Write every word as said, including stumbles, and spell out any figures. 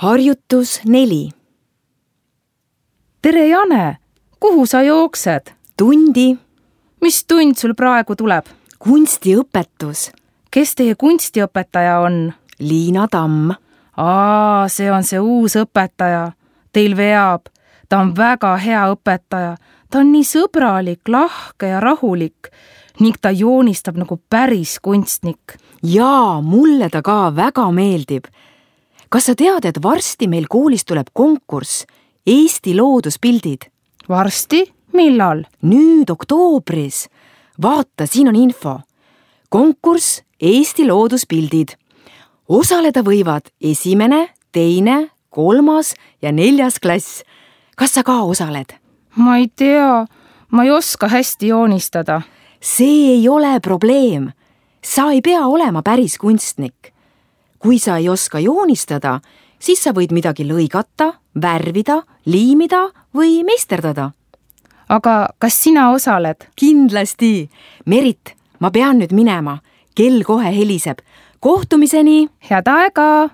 Harjutus neli. Tere, Jane! Kuhu sa jooksed? Tundi. Mis tund sul praegu tuleb? Kunstiõpetus. Kes teie kunstiõpetaja on? Liina Tamm. Aa, see on see uus õpetaja. Teil veab. Ta on väga hea õpetaja. Ta on nii sõbralik, lahke ja rahulik ning ta joonistab nagu päris kunstnik. Jaa, mulle ta ka väga meeldib. Kas sa tead, et varsti meil koolis tuleb konkurss Eesti looduspildid? Varsti? Millal? Nüüd oktoobris. Vaata, siin on info. Konkurss Eesti looduspildid. Osaleda võivad esimene, teine, kolmas ja neljas klass. Kas sa ka osaled? Ma ei tea. Ma ei oska hästi joonistada. See ei ole probleem. Sa ei pea olema päris kunstnik. Kui sa ei oska joonistada, siis sa võid midagi lõigata, värvida, liimida või meisterdada. Aga kas sina osaled? Kindlasti. Merit, ma pean nüüd minema. Kell kohe heliseb. Kohtumiseni! Head aega!